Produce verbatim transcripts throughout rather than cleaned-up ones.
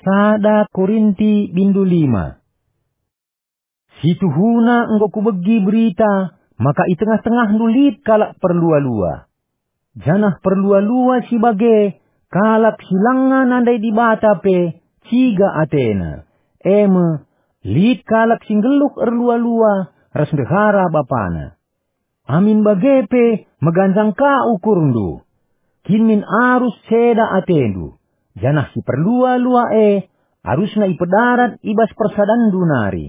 Sada Korinti bindu lima. Situhuna enggo kubegi berita maka i tengah-tengahndu lit kalak perlua-lua. Janah perlua-lua si bage kalak si langa nandai Dibata pe ciga atena, e me, lit kalak si nggeluh erlua-lua ras ndehara bapana. Amin bage pe meganjang ka ukurndu. Kin min arus ceda atendu, janah si perlua-lua e arusna ipedarat i bas persadanndu nari.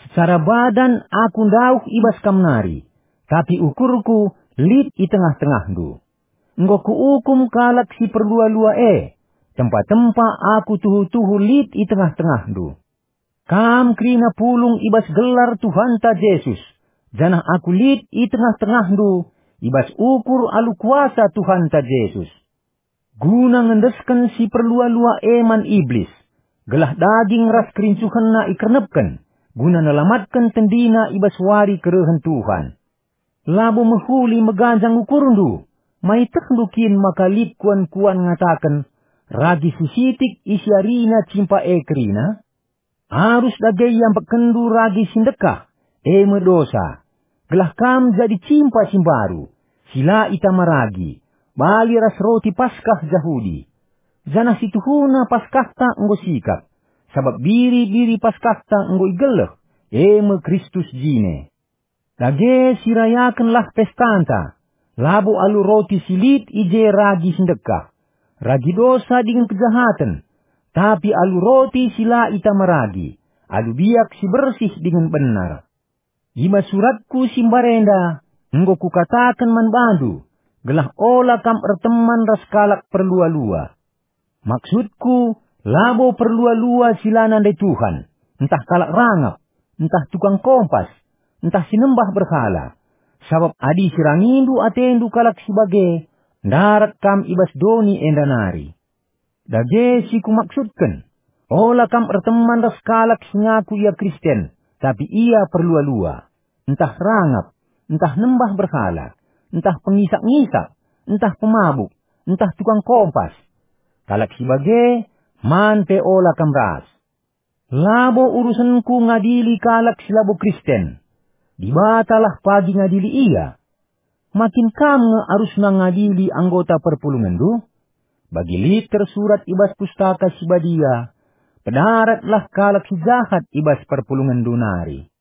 Secara badan aku ndauh i bas kam nari, tapi ukurku lit i tengah-tengahndu. Enggo kuukum kalak si perlua-lua e, tempa-tempa aku tuhu-tuhu lit i tengah-tengahndu. Kam kerina pulung i bas gelar Tuhanta Jesus, janah aku lit i tengah-tengahndu i bas ukur alu kuasa Tuhanta Jesus. Guna ngendesken si perlua-lua e man Iblis, gelah daging ras kerincuhenna ikernepken, guna nelamatken tendina i bas wari kerehen Tuhan. Labo mehuli meganjang ukurndu, maitehndu kin maka lit kuan-kuan ngataken, ragi si sitik isiarina cimpa e kerina? Arus dage iambekkenndu ragi si ndekah, e me dosa, gelah kam jadi cimpa si mbaru, si la itama ragi, bali ras roti Paskah Jahudi. Janah situhuna Paskahta enggo sikap, sabap biri-biri Paskahta enggo igeleh, e me Kristus jine. Dage sirayakenlah pestanta, labo alu roti si lit i je ragi si ndekah, ragi dosa dingen kejahaten, tapi alu roti si la itama ragi, alu biak si bersih dingen benar. I bas suratku si mbarenda enggo kukataken man bandu, gelah ola kam erteman ras kalak perlua-lua. Maksudku, labo perlua-lua si la nandai Tuhan, ntah kalak rangap, ntah tukang kompas, ntah si nembah berhala. Sabap adi sirangindu atendu kalak si bage, ndarat kam i bas doni enda nari. Dage si kumaksudken, ola kam erteman ras kalak si ngaku ia Kristen, tapi ia perlua-lua, ntah rangap, ntah nembah berhala, ntah pengisak-ngisak, ntah pemabuk, ntah tukang kompas. Kalak si bage, man pe ola kam ras. Labo urusenku ngadili kalak si labo Kristen. Dibatalah pagi ngadili ia. Ma kin kam nge arusna ngadili anggota perpulungenndu? Bagi lit tersurat i bas Pustaka Si Badia, "Pedaratlah kalak si jahat i bas perpulungenndu nari."